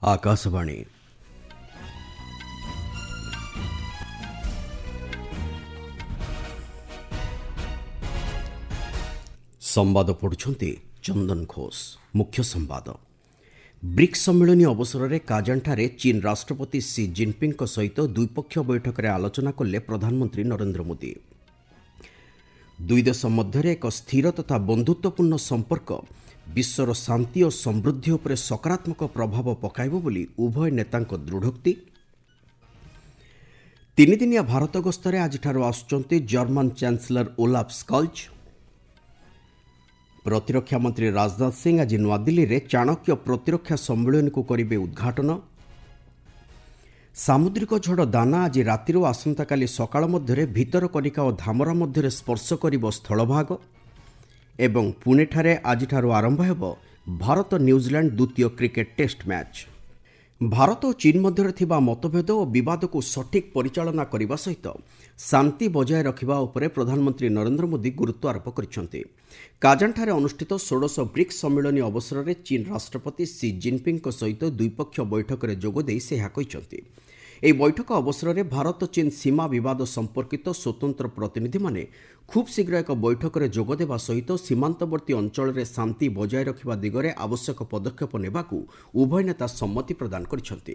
ଆକାଶବାଣୀ। ସମ୍ବାଦ ପଢୁଛନ୍ତି ଚନ୍ଦନ ଘୋଷ। ମୁଖ୍ୟ ସମ୍ବାଦ। ବ୍ରିକ୍ସ ସମ୍ମିଳନୀ ଅବସରରେ କାଜାନଠାରେ ଚୀନ୍ ରାଷ୍ଟ୍ରପତି ସି ଜିନ୍ପିଙ୍ଗଙ୍କ ସହିତ ଦ୍ୱିପକ୍ଷୀୟ ବୈଠକରେ ଆଲୋଚନା କଲେ ପ୍ରଧାନମନ୍ତ୍ରୀ ନରେନ୍ଦ୍ର ମୋଦି। ଦୁଇ ଦେଶ ମଧ୍ୟରେ ଏକ ସ୍ଥିର ତଥା ବନ୍ଧୁତ୍ୱପୂର୍ଣ୍ଣ ସମ୍ପର୍କ ବିଶ୍ୱର ଶାନ୍ତି ଓ ସମୃଦ୍ଧି ଉପରେ ସକାରାତ୍ମକ ପ୍ରଭାବ ପକାଇବ ବୋଲି ଉଭୟ ନେତାଙ୍କ ଦୃଢ଼ୋକ୍ତି। ତିନିଦିନିଆ ଭାରତ ଗସ୍ତରେ ଆଜିଠାରୁ ଆସୁଛନ୍ତି ଜର୍ମାନ ଚାନ୍ସେଲର ଓଲାଫ୍ ସ୍କଲ୍ଜ। ପ୍ରତିରକ୍ଷା ମନ୍ତ୍ରୀ ରାଜନାଥ ସିଂ ଆଜି ନୂଆଦିଲ୍ଲୀରେ ଚାଣକ୍ୟ ପ୍ରତିରକ୍ଷା ସମ୍ମିଳନୀକୁ କରିବେ ଉଦ୍ଘାଟନ। ସାମୁଦ୍ରିକ ଝଡ଼ ଦାନା ଆଜି ରାତିରୁ ଆସନ୍ତାକାଲି ସକାଳ ମଧ୍ୟରେ ଭିତରକନିକା ଓ ଧାମରା ମଧ୍ୟରେ ସ୍ପର୍ଶ କରିବ ସ୍ଥଳଭାଗ। ଏବଂ ପୁଣେଠାରେ ଆଜିଠାରୁ ଆରମ୍ଭ ହେବ ଭାରତ ନ୍ୟୁଜିଲାଣ୍ଡ ଦ୍ୱିତୀୟ କ୍ରିକେଟ୍ ଟେଷ୍ଟ ମ୍ୟାଚ୍। ଭାରତ ଓ ଚୀନ୍ ମଧ୍ୟରେ ଥିବା ମତଭେଦ ଓ ବିବାଦକୁ ସଠିକ୍ ପରିଚାଳନା କରିବା ସହିତ ଶାନ୍ତି ବଜାୟ ରଖିବା ଉପରେ ପ୍ରଧାନମନ୍ତ୍ରୀ ନରେନ୍ଦ୍ର ମୋଦି ଗୁରୁତ୍ୱ ଆରୋପ କରିଛନ୍ତି। କାଜାନଠାରେ ଅନୁଷ୍ଠିତ ଷୋଡ଼ଶ ବ୍ରିକ୍ସ ସମ୍ମିଳନୀ ଅବସରରେ ଚୀନ୍ ରାଷ୍ଟ୍ରପତି ସି ଜିନ୍ପିଙ୍ଗଙ୍କ ସହିତ ଦ୍ୱିପକ୍ଷୀୟ ବୈଠକରେ ଯୋଗଦେଇ ସେ ଏହା କହିଛନ୍ତି। ଏହି ବୈଠକ ଅବସରରେ ଭାରତ ଚୀନ୍ ସୀମା ବିବାଦ ସମ୍ପର୍କିତ ସ୍ୱତନ୍ତ୍ର ପ୍ରତିନିଧିମାନେ ଖୁବ୍ ଶୀଘ୍ର ଏକ ବୈଠକରେ ଯୋଗଦେବା ସହିତ ସୀମାନ୍ତବର୍ତ୍ତୀ ଅଞ୍ଚଳରେ ଶାନ୍ତି ବଜାୟ ରଖିବା ଦିଗରେ ଆବଶ୍ୟକ ପଦକ୍ଷେପ ନେବାକୁ ଉଭୟ ନେତା ସମ୍ମତି ପ୍ରଦାନ କରିଛନ୍ତି।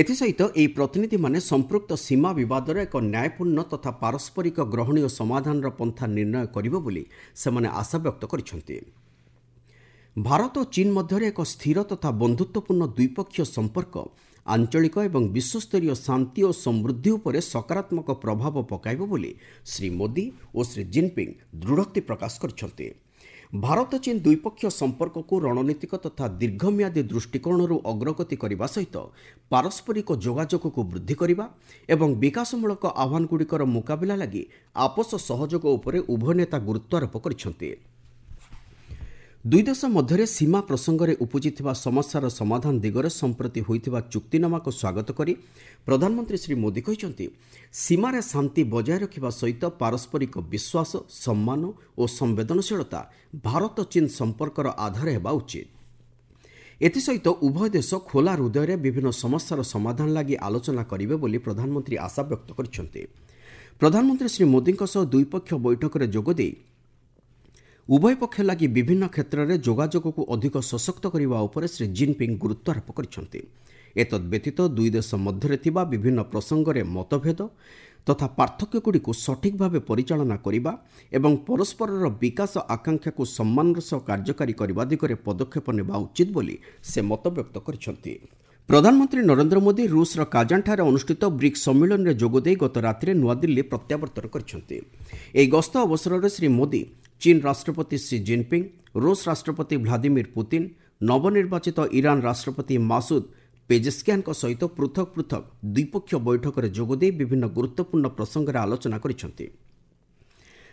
ଏଥିସହିତ ଏହି ପ୍ରତିନିଧିମାନେ ସମ୍ପୃକ୍ତ ସୀମା ବିବାଦର ଏକ ନ୍ୟାୟପୂର୍ଣ୍ଣ ତଥା ପାରସ୍ପରିକ ଗ୍ରହଣୀୟ ସମାଧାନର ପନ୍ଥା ନିର୍ଣ୍ଣୟ କରିବ ବୋଲି ସେମାନେ ଆଶାବ୍ୟକ୍ତ କରିଛନ୍ତି। ଭାରତ ଓ ଚୀନ୍ ମଧ୍ୟରେ ଏକ ସ୍ଥିର ତଥା ବନ୍ଧୁତ୍ୱପୂର୍ଣ୍ଣ ଦ୍ୱିପକ୍ଷୀୟ ସମ୍ପର୍କ ଆଞ୍ଚଳିକ ଏବଂ ବିଶ୍ୱସ୍ତରୀୟ ଶାନ୍ତି ଓ ସମୃଦ୍ଧି ଉପରେ ସକାରାତ୍ମକ ପ୍ରଭାବ ପକାଇବ ବୋଲି ଶ୍ରୀ ମୋଦି ଓ ଶ୍ରୀ ଜିନ୍ପିଙ୍ଗ ଦୃଢ଼ୋକ୍ତି ପ୍ରକାଶ କରିଛନ୍ତି। ଭାରତ ଚୀନ୍ ଦ୍ୱିପକ୍ଷୀୟ ସମ୍ପର୍କକୁ ରଣନୀତିକ ତଥା ଦୀର୍ଘମିଆଦୀ ଦୃଷ୍ଟିକୋଣରୁ ଅଗ୍ରଗତି କରିବା ସହିତ ପାରସ୍ପରିକ ଯୋଗାଯୋଗକୁ ବୃଦ୍ଧି କରିବା ଏବଂ ବିକାଶମୂଳକ ଆହ୍ୱାନଗୁଡ଼ିକର ମୁକାବିଲା ଲାଗି ଆପୋଷ ସହଯୋଗ ଉପରେ ଉଭୟ ନେତା ଗୁରୁତ୍ୱାରୋପ କରିଛନ୍ତି। ଦୁଇ ଦେଶ ମଧ୍ୟରେ ସୀମା ପ୍ରସଙ୍ଗରେ ଉପୁଜିଥିବା ସମସ୍ୟାର ସମାଧାନ ଦିଗରେ ସମ୍ପ୍ରତି ହୋଇଥିବା ଚୁକ୍ତିନାମାକୁ ସ୍ୱାଗତ କରି ପ୍ରଧାନମନ୍ତ୍ରୀ ଶ୍ରୀ ମୋଦି କହିଛନ୍ତି, ସୀମାରେ ଶାନ୍ତି ବଜାୟ ରଖିବା ସହିତ ପାରସ୍ପରିକ ବିଶ୍ୱାସ, ସମ୍ମାନ ଓ ସମ୍ବେଦନଶୀଳତା ଭାରତ ଚୀନ୍ ସମ୍ପର୍କର ଆଧାର ହେବା ଉଚିତ। ଏଥିସହିତ ଉଭୟ ଦେଶ ଖୋଲା ହୃଦୟରେ ବିଭିନ୍ନ ସମସ୍ୟାର ସମାଧାନ ଲାଗି ଆଲୋଚନା କରିବେ ବୋଲି ପ୍ରଧାନମନ୍ତ୍ରୀ ଆଶାବ୍ୟକ୍ତ କରିଛନ୍ତି। ପ୍ରଧାନମନ୍ତ୍ରୀ ଶ୍ରୀ ମୋଦିଙ୍କ ସହ ଦ୍ୱିପକ୍ଷୀୟ ବୈଠକରେ ଯୋଗଦେଇ ଉଭୟ ପକ୍ଷ ଲାଗି ବିଭିନ୍ନ କ୍ଷେତ୍ରରେ ଯୋଗାଯୋଗକୁ ଅଧିକ ସଶକ୍ତ କରିବା ଉପରେ ଶ୍ରୀ ଜିନ୍ପିଙ୍ଗ ଗୁରୁତ୍ୱାରୋପ କରିଛନ୍ତି। ଏତଦ୍ବ୍ୟତୀତ ଦୁଇ ଦେଶ ମଧ୍ୟରେ ଥିବା ବିଭିନ୍ନ ପ୍ରସଙ୍ଗରେ ମତଭେଦ ତଥା ପାର୍ଥକ୍ୟଗୁଡ଼ିକୁ ସଠିକ୍ ଭାବେ ପରିଚାଳନା କରିବା ଏବଂ ପରସ୍ପରର ବିକାଶ ଆକାଂକ୍ଷାକୁ ସମ୍ମାନର ସହ କାର୍ଯ୍ୟକାରୀ କରିବା ଦିଗରେ ପଦକ୍ଷେପ ନେବା ଉଚିତ ବୋଲି ସେ ମତବ୍ୟକ୍ତ କରିଛନ୍ତି। ପ୍ରଧାନମନ୍ତ୍ରୀ ନରେନ୍ଦ୍ର ମୋଦି ରୁଷର କାଜାନଠାରେ ଅନୁଷ୍ଠିତ ବ୍ରିକ୍ସ ସମ୍ମିଳନୀରେ ଯୋଗଦେଇ ଗତ ରାତିରେ ନୂଆଦିଲ୍ଲୀ ପ୍ରତ୍ୟାବର୍ତ୍ତନ କରିଛନ୍ତି। ଏହି ଗସ୍ତ ଅବସରରେ ଶ୍ରୀ ମୋଦି ଚୀନ୍ ରାଷ୍ଟ୍ରପତି ସି ଜିନ୍ପିଙ୍ଗ, ରୁଷ ରାଷ୍ଟ୍ରପତି ଭ୍ଲାଦିମିର ପୁତିନ, ନବନିର୍ବାଚିତ ଇରାନ ରାଷ୍ଟ୍ରପତି ମାସୁଦ ପେଜେସ୍କିଆନଙ୍କ ସହିତ ପୃଥକ ପୃଥକ ଦ୍ୱିପକ୍ଷୀୟ ବୈଠକରେ ଯୋଗଦେଇ ବିଭିନ୍ନ ଗୁରୁତ୍ୱପୂର୍ଣ୍ଣ ପ୍ରସଙ୍ଗରେ ଆଲୋଚନା କରିଛନ୍ତି।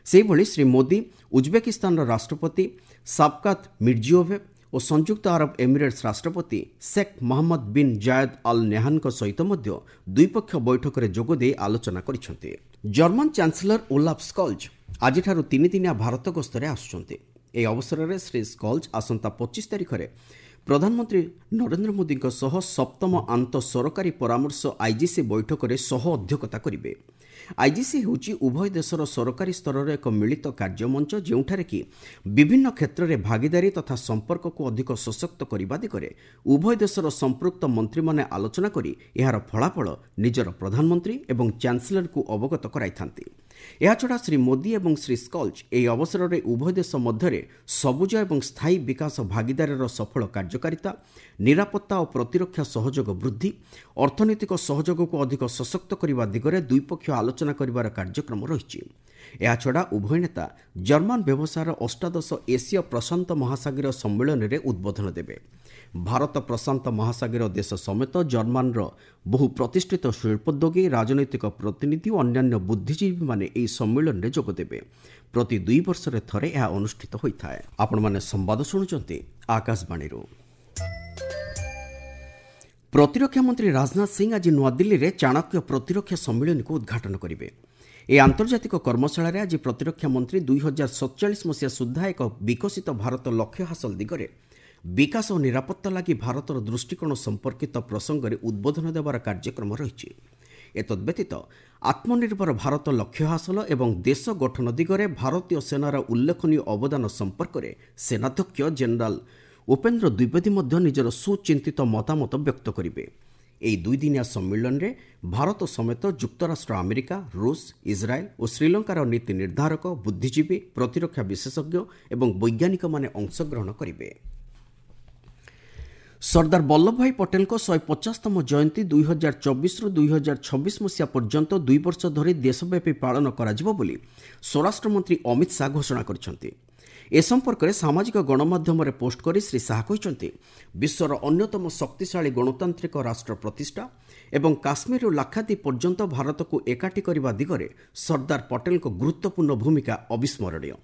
ସେହିଭଳି ଶ୍ରୀ ମୋଦି ଉଜବେକିସ୍ତାନର ରାଷ୍ଟ୍ରପତି ସାବକାତ ମିର୍ଜିଓଭେବ୍ ଓ ସଂଯୁକ୍ତ ଆରବ ଏମିରେଟ୍ସ ରାଷ୍ଟ୍ରପତି Sheikh Mohammed bin Zayed Al ନେହାନଙ୍କ ସହିତ ମଧ୍ୟ ଦ୍ୱିପକ୍ଷୀୟ ବୈଠକରେ ଯୋଗଦେଇ ଆଲୋଚନା କରିଛନ୍ତି। ଜର୍ମାନ ଚାନ୍ସେଲର ଓଲାଫ୍ ସ୍କଲ୍ଜ ଆଜିଠାରୁ ତିନିଦିନିଆ ଭାରତ ଗସ୍ତରେ ଆସୁଛନ୍ତି। ଏହି ଅବସରରେ ଶ୍ରୀ ସ୍କଲ୍ଜ ଆସନ୍ତା 25 ତାରିଖରେ ପ୍ରଧାନମନ୍ତ୍ରୀ ନରେନ୍ଦ୍ର ମୋଦିଙ୍କ ସହ ସପ୍ତମ ଆନ୍ତଃ ସରକାରୀ ପରାମର୍ଶ ଆଇଜିସି ବୈଠକରେ ସହ ଅଧ୍ୟକ୍ଷତା କରିବେ। ଆଇଜିସି ହେଉଛି ଉଭୟ ଦେଶର ସରକାରୀ ସ୍ତରର ଏକ ମିଳିତ କାର୍ଯ୍ୟମଞ୍ଚ, ଯେଉଁଠାରେ କି ବିଭିନ୍ନ କ୍ଷେତ୍ରରେ ଭାଗିଦାରୀ ତଥା ସମ୍ପର୍କକୁ ଅଧିକ ସଶକ୍ତ କରିବା ଦିଗରେ ଉଭୟ ଦେଶର ସମ୍ପୃକ୍ତ ମନ୍ତ୍ରୀମାନେ ଆଲୋଚନା କରି ଏହାର ଫଳାଫଳ ନିଜର ପ୍ରଧାନମନ୍ତ୍ରୀ ଏବଂ ଚାନ୍ସେଲରଙ୍କୁ ଅବଗତ କରାଇଥାନ୍ତି। ଏହାଛଡ଼ା ଶ୍ରୀ ମୋଦି ଏବଂ ଶ୍ରୀ ସ୍କଲ୍ଜ ଏହି ଅବସରରେ ଉଭୟ ଦେଶ ମଧ୍ୟରେ ସବୁଜ ଏବଂ ସ୍ଥାୟୀ ବିକାଶ ଭାଗିଦାରୀର ସଫଳ କାର୍ଯ୍ୟକାରିତା, ନିରାପତ୍ତା ଓ ପ୍ରତିରକ୍ଷା ସହଯୋଗ ବୃଦ୍ଧି, ଅର୍ଥନୈତିକ ସହଯୋଗକୁ ଅଧିକ ସଶକ୍ତ କରିବା ଦିଗରେ ଦ୍ୱିପକ୍ଷୀୟ ଆଲୋଚନା କରିବାର କାର୍ଯ୍ୟକ୍ରମ ରହିଛି। ଏହାଛଡ଼ା ଉଭୟ ନେତା ଜର୍ମାନ ବ୍ୟବସାୟର ଅଷ୍ଟାଦଶ ଏସୀୟ ପ୍ରଶାନ୍ତ ମହାସାଗରୀୟ ସମ୍ମିଳନୀରେ ଉଦ୍ବୋଧନ ଦେବେ। ଭାରତ ପ୍ରଶାନ୍ତ ମହାସାଗରୀୟ ଦେଶ ସମେତ ଜର୍ମାନର ବହୁ ପ୍ରତିଷ୍ଠିତ ଶିଳ୍ପୋଦ୍ୟୋଗୀ, ରାଜନୈତିକ ପ୍ରତିନିଧି ଓ ଅନ୍ୟାନ୍ୟ ବୁଦ୍ଧିଜୀବୀମାନେ ଏହି ସମ୍ମିଳନୀରେ ଯୋଗଦେବେ। ପ୍ରତି 2 ବର୍ଷରେ ଥରେ ଏହା ଅନୁଷ୍ଠିତ ହୋଇଥାଏ। ଆପଣମାନେ ସମ୍ବାଦ ଶୁଣୁଛନ୍ତି ଆକାଶବାଣୀରୁ। ପ୍ରତିରକ୍ଷା ମନ୍ତ୍ରୀ ରାଜନାଥ ସିଂ ଆଜି ନୂଆଦିଲ୍ଲୀରେ ଚାଣକ୍ୟ ପ୍ରତିରକ୍ଷା ସମ୍ମିଳନୀକୁ ଉଦ୍ଘାଟନ କରିବେ। ଏହି ଆନ୍ତର୍ଜାତିକ କର୍ମଶାଳାରେ ଆଜି ପ୍ରତିରକ୍ଷା ମନ୍ତ୍ରୀ 2047 ମସିହା ସୁଦ୍ଧା ଏକ ବିକଶିତ ଭାରତ ଲକ୍ଷ୍ୟ ହାସଲ ଦିଗରେ ବିକାଶ ଓ ନିରାପତ୍ତା ଲାଗି ଭାରତର ଦୃଷ୍ଟିକୋଣ ସମ୍ପର୍କିତ ପ୍ରସଙ୍ଗରେ ଉଦ୍ବୋଧନ ଦେବାର କାର୍ଯ୍ୟକ୍ରମ ରହିଛି। ଏତଦ୍ବ୍ୟତୀତ ଆତ୍ମନିର୍ଭର ଭାରତ ଲକ୍ଷ୍ୟ ହାସଲ ଏବଂ ଦେଶ ଗଠନ ଦିଗରେ ଭାରତୀୟ ସେନାର ଉଲ୍ଲେଖନୀୟ ଅବଦାନ ସମ୍ପର୍କରେ ସେନାଧ୍ୟକ୍ଷ ଜେନେରାଲ ଉପେନ୍ଦ୍ର ଦ୍ୱିବେଦୀ ମଧ୍ୟ ନିଜର ସୁଚିନ୍ତିତ ମତାମତ ବ୍ୟକ୍ତ କରିବେ। ଏହି ଦୁଇଦିନିଆ ସମ୍ମିଳନୀରେ ଭାରତ ସମେତ ଯୁକ୍ତରାଷ୍ଟ୍ର ଆମେରିକା, ରୁଷ, ଇସ୍ରାଏଲ୍ ଓ ଶ୍ରୀଲଙ୍କାର ନୀତି ନିର୍ଦ୍ଧାରକ, ବୁଦ୍ଧିଜୀବୀ, ପ୍ରତିରକ୍ଷା ବିଶେଷଜ୍ଞ ଏବଂ ବୈଜ୍ଞାନିକମାନେ ଅଂଶଗ୍ରହଣ କରିବେ। ସର୍ଦ୍ଦାର ବଲ୍ଲଭଭାଇ ପଟେଲଙ୍କ 150ତମ ଜୟନ୍ତୀ 2024ରୁ 2026 ମସିହା ପର୍ଯ୍ୟନ୍ତ 2 ବର୍ଷ ଧରି ଦେଶବ୍ୟାପୀ ପାଳନ କରାଯିବ ବୋଲି ସ୍ୱରାଷ୍ଟ୍ରମନ୍ତ୍ରୀ ଅମିତ ଶାହା ଘୋଷଣା କରିଛନ୍ତି। ଏ ସମ୍ପର୍କରେ ସାମାଜିକ ଗଣମାଧ୍ୟମରେ ପୋଷ୍ଟ କରି ଶ୍ରୀ ଶାହା କହିଛନ୍ତି, ବିଶ୍ୱର ଅନ୍ୟତମ ଶକ୍ତିଶାଳୀ ଗଣତାନ୍ତ୍ରିକ ରାଷ୍ଟ୍ର ପ୍ରତିଷ୍ଠା ଏବଂ କାଶ୍ମୀରରୁ ଲାକ୍ଷାଦ୍ୱୀପ ପର୍ଯ୍ୟନ୍ତ ଭାରତକୁ ଏକାଠି କରିବା ଦିଗରେ ସର୍ଦ୍ଦାର ପଟେଲଙ୍କ ଗୁରୁତ୍ୱପୂର୍ଣ୍ଣ ଭୂମିକା ଅବିସ୍ମରଣୀୟ।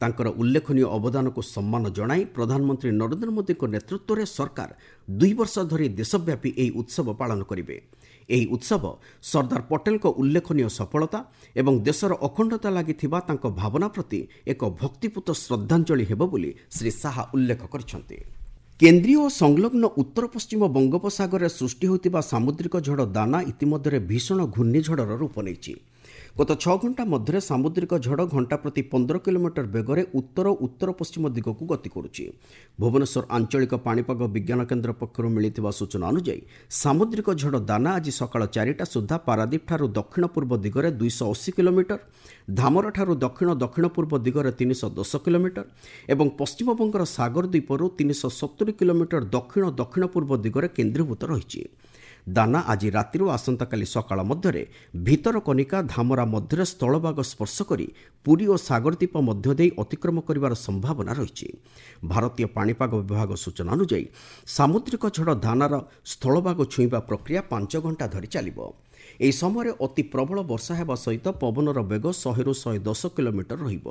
ତାଙ୍କର ଉଲ୍ଲେଖନୀୟ ଅବଦାନକୁ ସମ୍ମାନ ଜଣାଇ ପ୍ରଧାନମନ୍ତ୍ରୀ ନରେନ୍ଦ୍ର ମୋଦିଙ୍କ ନେତୃତ୍ୱରେ ସରକାର 2 ବର୍ଷ ଧରି ଦେଶବ୍ୟାପୀ ଏହି ଉତ୍ସବ ପାଳନ କରିବେ। ଏହି ଉତ୍ସବ ସର୍ଦ୍ଦାର ପଟେଲଙ୍କ ଉଲ୍ଲେଖନୀୟ ସଫଳତା ଏବଂ ଦେଶର ଅଖଣ୍ଡତା ଲାଗି ଥିବା ତାଙ୍କ ଭାବନା ପ୍ରତି ଏକ ଭକ୍ତିପୂତ ଶ୍ରଦ୍ଧାଞ୍ଜଳି ହେବ ବୋଲି ଶ୍ରୀ ଶାହା ଉଲ୍ଲେଖ କରିଛନ୍ତି। କେନ୍ଦ୍ରୀୟ ଓ ସଂଲଗ୍ନ ଉତ୍ତର ପଶ୍ଚିମ ବଙ୍ଗୋପସାଗରରେ ସୃଷ୍ଟି ହୋଇଥିବା ସାମୁଦ୍ରିକ ଝଡ଼ ଦାନା ଇତିମଧ୍ୟରେ ଭୀଷଣ ଘୂର୍ଣ୍ଣିଝଡ଼ର ରୂପ ନେଇଛି। ଗତ 6 ଘଣ୍ଟା ମଧ୍ୟରେ ସାମୁଦ୍ରିକ ଝଡ଼ ଘଣ୍ଟା ପ୍ରତି 15 କିଲୋମିଟର ବେଗରେ ଉତ୍ତର ଉତ୍ତର ପଶ୍ଚିମ ଦିଗକୁ ଗତି କରୁଛି। ଭୁବନେଶ୍ୱର ଆଞ୍ଚଳିକ ପାଣିପାଗ ବିଜ୍ଞାନ କେନ୍ଦ୍ର ପକ୍ଷରୁ ମିଳିଥିବା ସୂଚନା ଅନୁଯାୟୀ ସାମୁଦ୍ରିକ ଝଡ଼ ଦାନା ଆଜି ସକାଳ 4ଟା ସୁଦ୍ଧା ପାରାଦୀପଠାରୁ ଦକ୍ଷିଣ ପୂର୍ବ ଦିଗରେ 280 କିଲୋମିଟର, ଧାମରାଠାରୁ ଦକ୍ଷିଣ ଦକ୍ଷିଣ ପୂର୍ବ ଦିଗରେ 310 କିଲୋମିଟର ଏବଂ ପଶ୍ଚିମବଙ୍ଗର ସାଗର ଦ୍ୱୀପରୁ 370 କିଲୋମିଟର ଦକ୍ଷିଣ ଦକ୍ଷିଣ ପୂର୍ବ ଦିଗରେ କେନ୍ଦ୍ରୀଭୂତ ରହିଛି। ଦାନା ଆଜି ରାତିରୁ ଆସନ୍ତାକାଲି ସକାଳ ମଧ୍ୟରେ ଭିତରକନିକା ଧାମରା ମଧ୍ୟରେ ସ୍ଥଳଭାଗ ସ୍ପର୍ଶ କରି ପୁରୀ ଓ ସାଗରଦ୍ୱୀପ ମଧ୍ୟ ଦେଇ ଅତିକ୍ରମ କରିବାର ସମ୍ଭାବନା ରହିଛି। ଭାରତୀୟ ପାଣିପାଗ ବିଭାଗ ସୂଚନା ଅନୁଯାୟୀ ସାମୁଦ୍ରିକ ଝଡ଼ ଦାନାର ସ୍ଥଳଭାଗ ଛୁଇଁବା ପ୍ରକ୍ରିୟା 5 ଘଣ୍ଟା ଧରି ଚାଲିବ। ଏହି ସମୟରେ ଅତି ପ୍ରବଳ ବର୍ଷା ହେବା ସହିତ ପବନର ବେଗ 100ରୁ 110 କିଲୋମିଟର ରହିବ।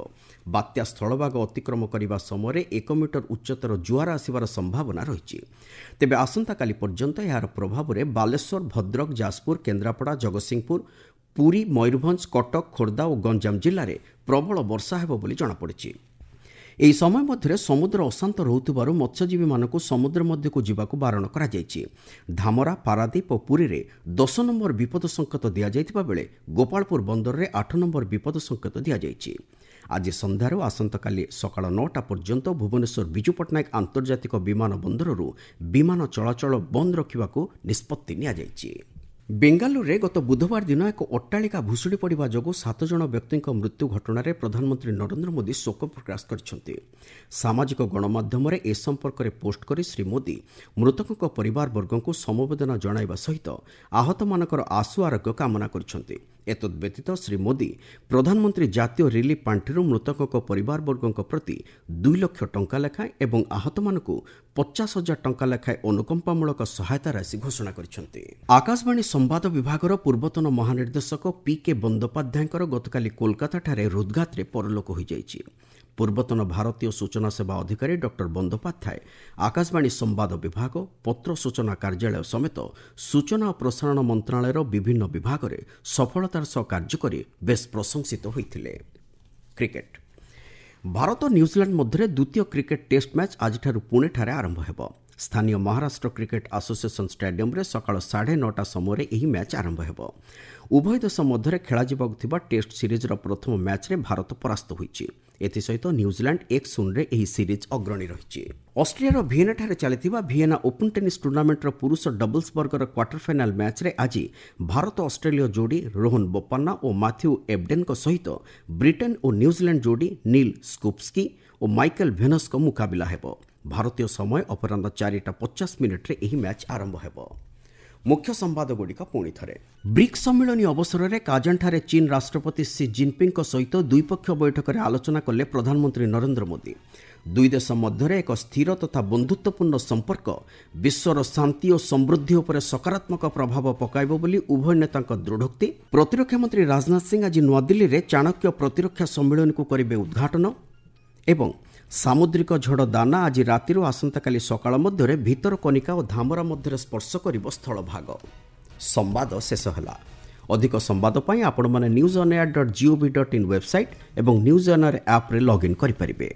ବାତ୍ୟା ସ୍ଥଳଭାଗ ଅତିକ୍ରମ କରିବା ସମୟରେ 1 ମିଟର ଉଚ୍ଚତାର ଜୁଆର ଆସିବାର ସମ୍ଭାବନା ରହିଛି। ତେବେ ଆସନ୍ତାକାଲି ପର୍ଯ୍ୟନ୍ତ ଏହାର ପ୍ରଭାବରେ ବାଲେଶ୍ୱର, ଭଦ୍ରକ, ଯାଜପୁର, କେନ୍ଦ୍ରାପଡ଼ା, ଜଗତସିଂହପୁର, ପୁରୀ, ମୟୂରଭଞ୍ଜ, କଟକ, ଖୋର୍ଦ୍ଧା ଓ ଗଞ୍ଜାମ ଜିଲ୍ଲାରେ ପ୍ରବଳ ବର୍ଷା ହେବ ବୋଲି ଜଣାପଡ଼ିଛି। ଏହି ସମୟ ମଧ୍ୟରେ ସମୁଦ୍ର ଅଶାନ୍ତ ରହୁଥିବାରୁ ମତ୍ସ୍ୟଜୀବୀମାନଙ୍କୁ ସମୁଦ୍ର ମଧ୍ୟକୁ ଯିବାକୁ ବାରଣ କରାଯାଇଛି। ଧାମରା, ପାରାଦୀପ ଓ ପୁରୀରେ 10 ନମ୍ବର ବିପଦ ସଙ୍କେତ ଦିଆଯାଇଥିବା ବେଳେ ଗୋପାଳପୁର ବନ୍ଦରରେ 8 ନମ୍ବର ବିପଦ ସଙ୍କେତ ଦିଆଯାଇଛି। ଆଜି ସନ୍ଧ୍ୟାରୁ ଆସନ୍ତାକାଲି ସକାଳ 9ଟା ପର୍ଯ୍ୟନ୍ତ ଭୁବନେଶ୍ୱର ବିଜୁ ପଟ୍ଟନାୟକ ଆନ୍ତର୍ଜାତିକ ବିମାନ ବନ୍ଦରରୁ ବିମାନ ଚଳାଚଳ ବନ୍ଦ ରଖିବାକୁ ନିଷ୍ପତ୍ତି ନିଆଯାଇଛି। ବେଙ୍ଗାଲୁରୁରେ ଗତ ବୁଧବାର ଦିନ ଏକ ଅଟ୍ଟାଳିକା ଭୁଶୁଡ଼ି ପଡ଼ିବା ଯୋଗୁଁ 7 ଜଣ ବ୍ୟକ୍ତିଙ୍କ ମୃତ୍ୟୁ ଘଟଣାରେ ପ୍ରଧାନମନ୍ତ୍ରୀ ନରେନ୍ଦ୍ର ମୋଦି ଶୋକ ପ୍ରକାଶ କରିଛନ୍ତି। ସାମାଜିକ ଗଣମାଧ୍ୟମରେ ଏ ସମ୍ପର୍କରେ ପୋଷ୍ଟ କରି ଶ୍ରୀ ମୋଦି ମୃତକଙ୍କ ପରିବାରବର୍ଗଙ୍କୁ ସମବେଦନା ଜଣାଇବା ସହିତ ଆହତମାନଙ୍କର ଆଶୁ ଆରୋଗ୍ୟ କାମନା କରିଛନ୍ତି। ଏତଦ୍ବ୍ୟତୀତ ଶ୍ରୀ ମୋଦି ପ୍ରଧାନମନ୍ତ୍ରୀ ଜାତୀୟ ରିଲିଫ୍ ପାଣ୍ଠିରୁ ମୃତକଙ୍କ ପରିବାରବର୍ଗଙ୍କ ପ୍ରତି 2 ଲକ୍ଷ ଟଙ୍କା ଲେଖାଏଁ ଏବଂ ଆହତମାନଙ୍କୁ 50,000 ଟଙ୍କା ଲେଖାଏଁ ଅନୁକମ୍ପାମୂଳକ ସହାୟତା ରାଶି ଘୋଷଣା କରିଛନ୍ତି। ଆକାଶବାଣୀ ସମ୍ବାଦ ବିଭାଗର ପୂର୍ବତନ ମହାନିର୍ଦ୍ଦେଶକ ପି କେ ବନ୍ଦୋପାଧ୍ୟାୟଙ୍କର ଗତକାଲି କୋଲକାତାଠାରେ ହୃଦ୍ଘାତରେ ପରଲୋକ ହୋଇଯାଇଛି। ପୂର୍ବତନ ଭାରତୀୟ ସୂଚନା ସେବା ଅଧିକାରୀ ଡକ୍ଟର ବନ୍ଦୋପାଧ୍ୟାୟ ଆକାଶବାଣୀ ସମ୍ବାଦ ବିଭାଗ, ପତ୍ର ସୂଚନା କାର୍ଯ୍ୟାଳୟ ସମେତ ସୂଚନା ଓ ପ୍ରସାରଣ ମନ୍ତ୍ରଣାଳୟର ବିଭିନ୍ନ ବିଭାଗରେ ସଫଳତାର ସହ କାର୍ଯ୍ୟ କରି ବେଶ୍ ପ୍ରଶଂସିତ ହୋଇଥିଲେ। କ୍ରିକେଟ୍। ଭାରତ ନ୍ୟୁଜିଲାଣ୍ଡ ମଧ୍ୟରେ ଦ୍ୱିତୀୟ କ୍ରିକେଟ୍ ଟେଷ୍ଟ ମ୍ୟାଚ୍ ଆଜିଠାରୁ ପୁଣେଠାରେ ଆରମ୍ଭ ହେବ। ସ୍ଥାନୀୟ ମହାରାଷ୍ଟ୍ର କ୍ରିକେଟ୍ ଆସୋସିଏସନ୍ ଷ୍ଟାଡିୟମ୍ରେ ସକାଳ 9:30 ସମୟରେ ଏହି ମ୍ୟାଚ୍ ଆରମ୍ଭ ହେବ। ଉଭୟ ଦେଶ ମଧ୍ୟରେ ଖେଳାଯିବାକୁ ଥିବା ଟେଷ୍ଟ ସିରିଜ୍ର ପ୍ରଥମ ମ୍ୟାଚ୍ରେ ଭାରତ ପରାସ୍ତ ହୋଇଛି। ଏଥିସହିତ ନ୍ୟୁଜିଲାଣ୍ଡ 1-0ରେ ଏହି ସିରିଜ୍ ଅଗ୍ରଣୀ ରହିଛି। ଅଷ୍ଟ୍ରିଆର ଭିଏନାଠାରେ ଚାଲିଥିବା ଭିଏନା ଓପନ୍ ଟେନିସ୍ ଟୁର୍ଣ୍ଣାମେଣ୍ଟର ପୁରୁଷ ଡବଲ୍ସ ବର୍ଗର କ୍ୱାର୍ଟର ଫାଇନାଲ୍ ମ୍ୟାଚ୍ରେ ଆଜି ଭାରତ ଅଷ୍ଟ୍ରେଲୀୟ ଯୋଡ଼ି ରୋହନ ବୋପାନ୍ନା ଓ ମାଥ୍ୟୁ ଏବଡେନ୍ଙ୍କ ସହିତ ବ୍ରିଟେନ୍ ଓ ନ୍ୟୁଜିଲାଣ୍ଡ ଯୋଡ଼ି ନୀଲ୍ ସ୍କୁପ୍ସ୍କି ଓ ମାଇକେଲ୍ ଭେନସ୍ଙ୍କ ମୁକାବିଲା ହେବ। ଭାରତୀୟ ସମୟ ଅପରାହ୍ନ 4:50 ଏହି ମ୍ୟାଚ୍ ଆରମ୍ଭ ହେବ। ମୁଖ୍ୟ ସମ୍ବାଦଗୁଡ଼ିକ ପୁଣି ଥରେ। ବ୍ରିକ୍ସ ସମ୍ମିଳନୀ ଅବସରରେ କାଜାନଠାରେ ଚୀନ୍ ରାଷ୍ଟ୍ରପତି ସି ଜିନ୍ପିଙ୍ଗଙ୍କ ସହିତ ଦ୍ୱିପକ୍ଷୀୟ ବୈଠକରେ ଆଲୋଚନା କଲେ ପ୍ରଧାନମନ୍ତ୍ରୀ ନରେନ୍ଦ୍ର ମୋଦି। ଦୁଇ ଦେଶ ମଧ୍ୟରେ ଏକ ସ୍ଥିର ତଥା ବନ୍ଧୁତ୍ୱପୂର୍ଣ୍ଣ ସମ୍ପର୍କ ବିଶ୍ୱର ଶାନ୍ତି ଓ ସମୃଦ୍ଧି ଉପରେ ସକାରାତ୍ମକ ପ୍ରଭାବ ପକାଇବ ବୋଲି ଉଭୟ ନେତାଙ୍କ ଦୃଢ଼ୋକ୍ତି। ପ୍ରତିରକ୍ଷା ମନ୍ତ୍ରୀ ରାଜନାଥ ସିଂ ଆଜି ନୂଆଦିଲ୍ଲୀରେ ଚାଣକ୍ୟ ପ୍ରତିରକ୍ଷା ସମ୍ମିଳନୀକୁ କରିବେ ଉଦ୍ଘାଟନ। ଏବଂ ସାମୁଦ୍ରିକ ଝଡ଼ ଦାନା ଆଜି ରାତିରୁ ଆସନ୍ତାକାଲି ସକାଳ ମଧ୍ୟରେ ଭିତରକନିକା ଓ ଧାମରା ମଧ୍ୟରେ ସ୍ପର୍ଶ କରିବ ସ୍ଥଳଭାଗ। ସମ୍ବାଦ ଶେଷ ହେଲା। ଅଧିକ ସମ୍ବାଦ ପାଇଁ ଆପଣମାନେ newsonair.gov.in website ଏବଂ ନ୍ୟୁଜ୍ ଅନ୍ ଏୟାର ଆପ୍ରେ ଲଗ୍ଇନ୍ କରିପାରିବେ।